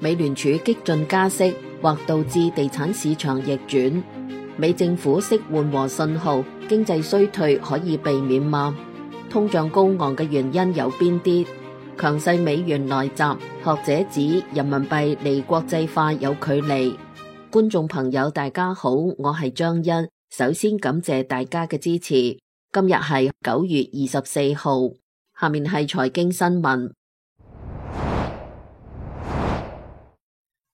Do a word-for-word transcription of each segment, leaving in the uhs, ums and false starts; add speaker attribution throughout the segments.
Speaker 1: 美聯儲激進加息或導致地產市場逆轉，美政府釋緩和信號，經濟衰退可以避免嗎？通脹高昂嘅原因有邊啲？強勢美元來襲，學者指人民幣離國際化有距離。觀眾朋友大家好，我係張欣，首先感謝大家嘅支持。今日係九月二十四號，下面係財經新聞。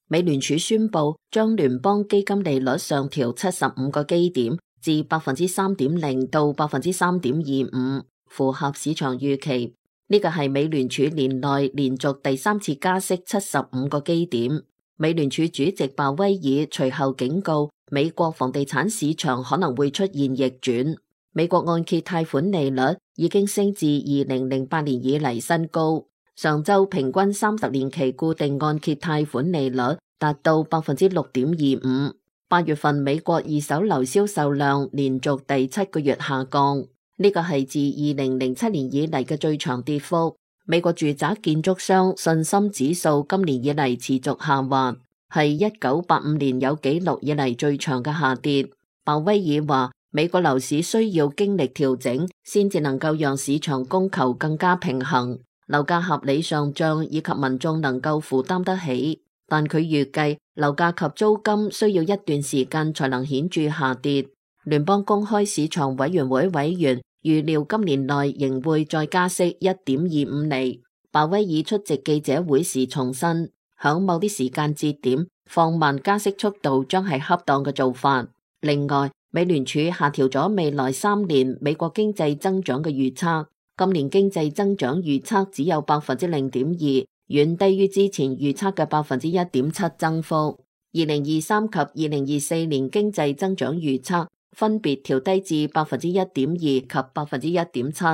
Speaker 1: 美聯儲宣布將聯邦基金利率上調七十五個基點至百分之三點零到百分之三點二五，符合市場預期。呢個係美聯儲年內連續第三次加息七十五個基點。美聯儲主席鮑威爾隨後警告，美國房地產市場可能會出現逆轉。美國按揭貸款利率已經升至二零零八年以嚟新高。上周平均三十年期固定按揭貸款利率達到百分之六點二五。八月份美國二手樓銷售量連續第七個月下降。呢個係自二零零七年以嚟嘅最長跌幅。美國住宅建築商信心指數今年以嚟持續下滑，係一九八五年有紀錄以嚟最長嘅下跌。鮑威爾話，美國樓市需要經歷調整，先至能夠讓市場供求更加平衡，樓價合理上漲以及民眾能夠負擔得起。但佢預計樓價及租金需要一段時間才能顯著下跌。聯邦公開市場委員會委員預料今年內仍會再加息一點二五厘。鮑威爾出席記者會時重申，響某啲時間節點放慢加息速度將係恰當嘅做法。另外，美聯儲下調咗未來三年美國經濟增長嘅預測，今年經濟增長預測只有百分之零點二，遠低於之前預測嘅百分之一點七增幅。二零二三及二零二四年經濟增長預測分別調低至百分之一點二及百分之一點七，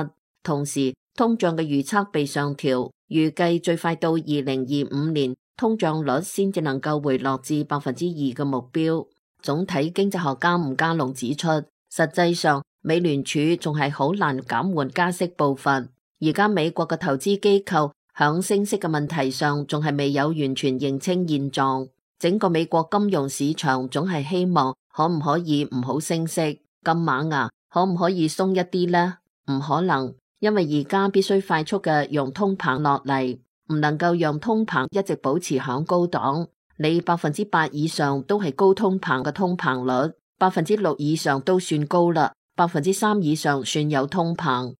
Speaker 1: 同時通脹嘅預測被上調，預計最快到二零二五年通脹率先至能夠回落至百分之二嘅目標。總體經濟學家吳家龍指出，實際上美聯儲仲係好難減緩加息步伐。而家美國嘅投資機構響升息嘅問題上仲係未有完全認清現狀，整個美國金融市場總係希望可唔可以唔好升息，咁猛啊，可唔可以鬆一啲呢？唔可能，因為而家必須快速嘅用通膨落嚟，唔能夠讓通膨一直保持響高檔。你百分之八以上都係高通膨嘅通膨率，百分之六以上都算高啦，百分之三以上算有通膨。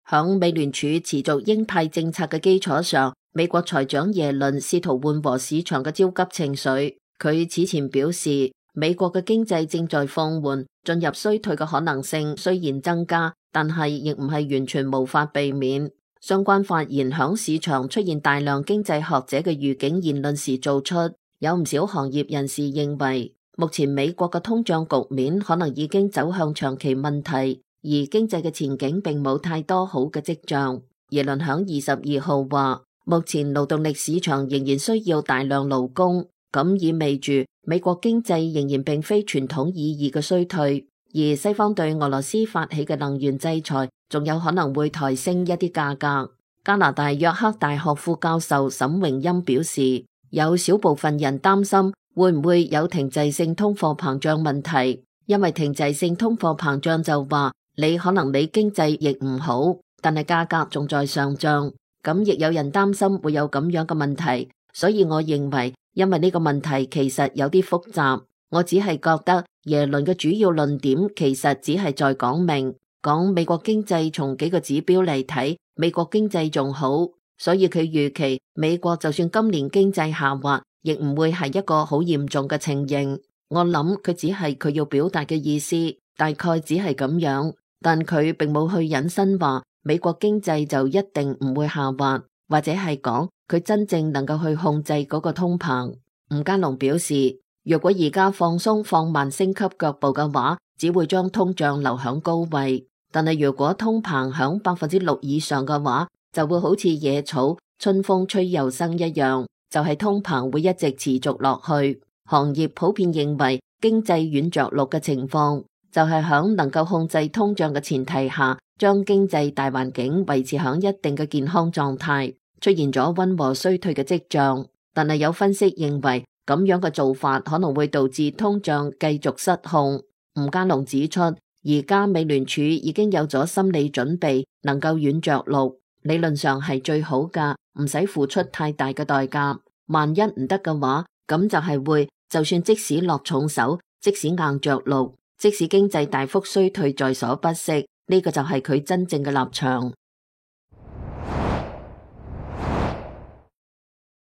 Speaker 1: 響美聯儲持續鷹派政策嘅基礎上，美國財長耶倫試圖緩和市場嘅焦急情緒。佢此前表示，美國嘅經濟正在放緩，進入衰退嘅可能性雖然增加，但係亦唔係完全無法避免。相關發言響市場出現大量經濟學者嘅預警言論時做出，有唔少行業人士認為，目前美國嘅通脹局面可能已經走向長期問題，而經濟嘅前景並冇太多好嘅跡象。耶倫響二十二號話，目前勞動力市場仍然需要大量勞工，咁意味住美國經濟仍然並非傳統意義嘅衰退，而西方對俄羅斯發起嘅能源制裁仲有可能會抬升一啲價格。加拿大約克大學副教授沈榮欽表示，有少部分人擔心會唔會有停滯性通貨膨脹問題，因為停滯性通貨膨脹就話你可能你經濟亦唔好，但係價格仲在上漲。咁亦有人擔心會有咁樣嘅問題，所以我認為，因為呢個問題其實有啲複雜，我只係覺得耶倫嘅主要論點其實只係在講明，講美國經濟從幾個指標嚟睇，美國經濟仲好，所以佢預期美國就算今年經濟下滑，亦唔會係一個好嚴重嘅情形。我諗佢只係佢要表達嘅意思，大概只係咁樣，但佢並冇去引申話美國經濟就一定唔會下滑，或者係講佢真正能夠去控制嗰個通膨。吳家龍表示，若果而家放鬆放慢升級腳步嘅話，只會將通脹留響高位，但係如果通膨響百分之六以上嘅話，就會好似野草春風吹又生一樣，就係通膨會一直持續落去。行業普遍認為經濟軟着陸嘅情況就係響能夠控制通脹嘅前提下，將經濟大環境維持響一定嘅健康狀態。出現咗溫和衰退嘅跡象。但係有分析認為，咁樣嘅做法可能會導致通脹繼續失控。吳家龍指出，而家美聯儲已經有咗心理準備，能夠軟着陸，理論上係最好㗎，唔使付出太大嘅代價。萬一唔得嘅話，咁就係會，就算即使落重手，即使硬着陸，即使經濟大幅衰退在所不惜，呢個就係佢真正嘅立場。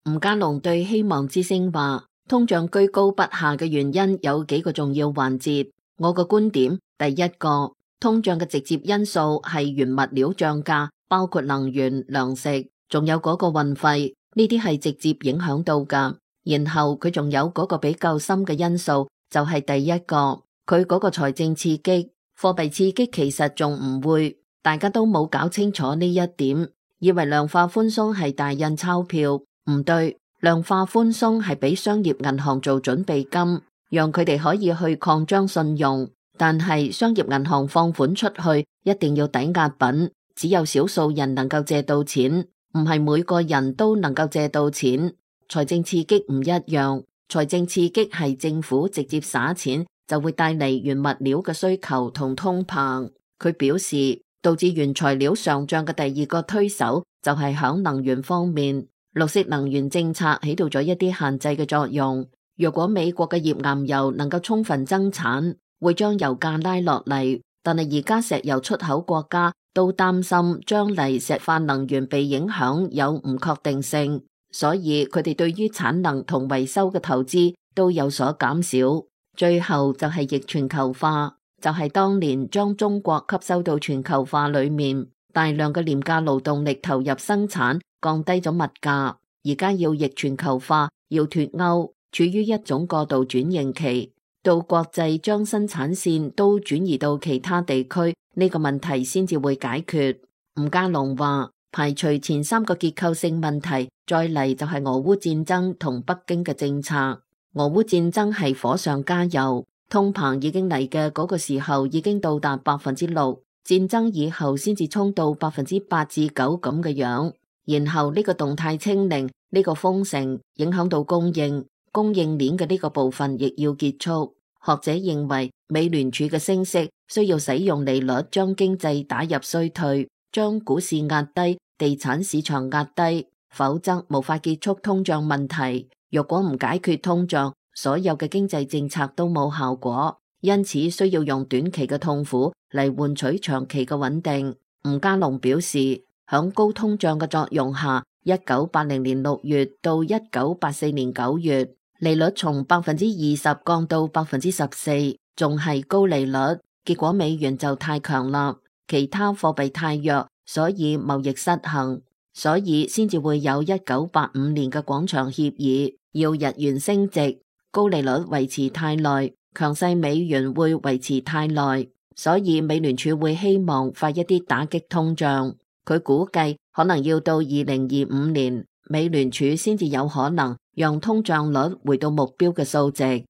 Speaker 1: 吳家龍對希望之聲話，通脹居高不下嘅原因有幾個重要環節。我個觀點，第一個，通脹嘅直接因素係原物料漲價，包括能源、糧食，仲有嗰個運費，呢啲係直接影響到㗎。然後佢仲有嗰個比較深嘅因素，就係第一個，佢嗰個財政刺激、貨幣刺激其實仲唔會，大家都冇搞清楚呢一點，以為量化寬鬆係大印鈔票，唔對，量化寬鬆係俾商業銀行做準備金，讓佢哋可以去擴張信用。但係商業銀行放款出去一定要抵押品，只有少數人能夠借到錢，唔係每個人都能夠借到錢。財政刺激唔一樣，財政刺激係政府直接撒錢，就會帶嚟原物料嘅需求同通膨。佢表示，導致原材料上漲嘅第二個推手就係響能源方面，綠色能源政策起到咗一啲限制嘅作用。若果美國嘅頁岩油能夠充分增產，會將油價拉落嚟，但係而家石油出口國家都擔心將嚟石化能源被影響有唔確定性，所以佢哋對於產能同維修嘅投資都有所減少。最後就係逆全球化，就係當年將中國吸收到全球化裏面，大量嘅廉價勞動力投入生產，降低咗物價。而家要逆全球化，要脫歐，處於一種過渡轉型期。到國際將生產線都轉移到其他地區，呢個問題先至會解決。吳家龍話，排除前三個結構性問題，再嚟就係俄烏戰爭同北京嘅政策。俄烏戰爭係火上加油，通膨已經嚟嘅嗰個時候已經到達百分之六，戰爭以後先至衝到百分之八至九咁嘅樣。然後呢個動態清零，呢個封城影響到供應。供應鏈嘅呢個部分亦要結束。學者認為，美聯儲嘅升息需要使用利率將經濟打入衰退，將股市壓低，地產市場壓低，否則無法結束通脹問題。若果唔解決通脹，所有嘅經濟政策都冇效果。因此需要用短期嘅痛苦嚟換取長期嘅穩定。吳家龍表示，響高通脹嘅作用下，一九八零年六月到一九八四年九月，利率從百分之二十降到百分之十四，仲係高利率。結果美元就太強啦，其他貨幣太弱，所以貿易失衡，所以先至會有一九八五年嘅廣場協議，要日元升值。高利率維持太耐，強勢美元會維持太耐，所以美聯儲會希望快一啲打擊通脹。佢估計可能要到二零二五年，美聯儲先至有可能讓通脹率回到目標嘅數值。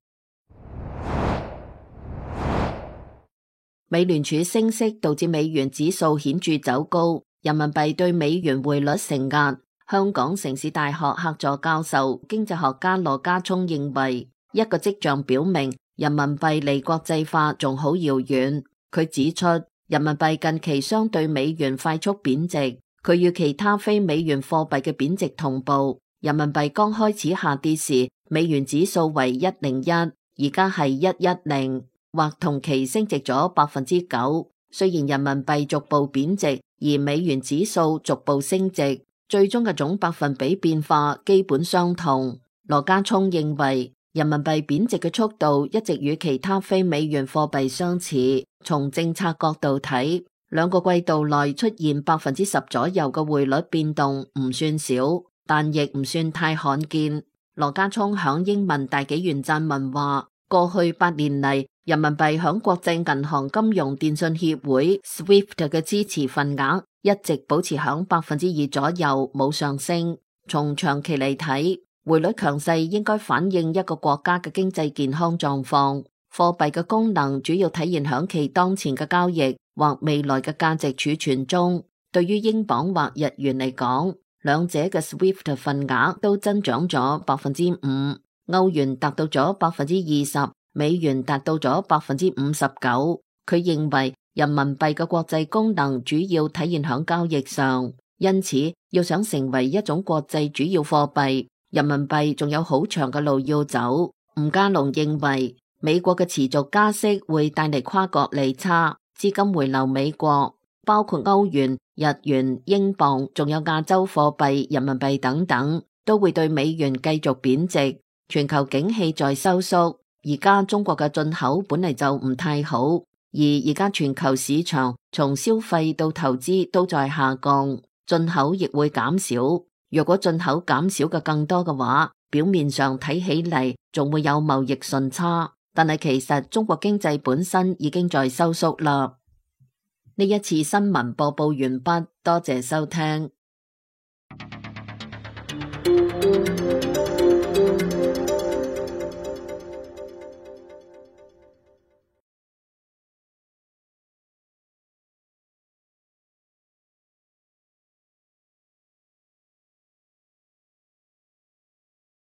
Speaker 1: 美聯儲升息導致美元指數顯著走高，人民幣對美元匯率承壓。香港城市大學客座教授、經濟學家羅家聰認為，一個跡象表明人民幣離國際化仲好遙遠。佢指出，人民幣近期相對美元快速貶值，佢與其他非美元貨幣嘅貶值同步。人民幣剛開始下跌時，美元指數為一零一，而家係一一零，或同期升值咗百分之九。雖然人民幣逐步貶值，而美元指數逐步升值，最終嘅總百分比變化基本相同。羅家聰認為，人民幣貶值嘅速度一直與其他非美元貨幣相似。從政策角度睇，兩個季度內出現百分之十左右嘅匯率變動唔算少，但亦唔算太罕見。羅家聰響英文大紀元撰文話，過去八年嚟，人民幣響國際銀行金融電信協會 SWIFT 嘅支持份額一直保持響百分之二左右，冇上升。從長期嚟睇，匯率強勢應該反映一個國家嘅經濟健康狀況。貨幣嘅功能主要體現響其當前嘅交易或未來嘅價值儲存中。對於英鎊或日元嚟講，兩者嘅 SWIFT 份額都增長咗百分之五，歐元達到咗百分之二十，美元達到咗百分之五十九。佢認為人民幣嘅國際功能主要體現響交易上，因此要想成為一種國際主要貨幣，人民幣仲有好長嘅路要走。吳家龍認為美國嘅持續加息會帶嚟跨國利差，資金回流美國，包括歐元、日元、英鎊，仲有亞洲貨幣人民幣等等，都會對美元繼續貶值。全球景氣在收縮，而家中國嘅進口本嚟就唔太好，而而家全球市場從消費到投資都在下降，進口亦會減少。若果進口減少嘅更多嘅話，表面上睇起嚟仲會有貿易順差，但係其實中國經濟本身已經在收縮啦。呢一次新聞播報完畢，多謝收聽。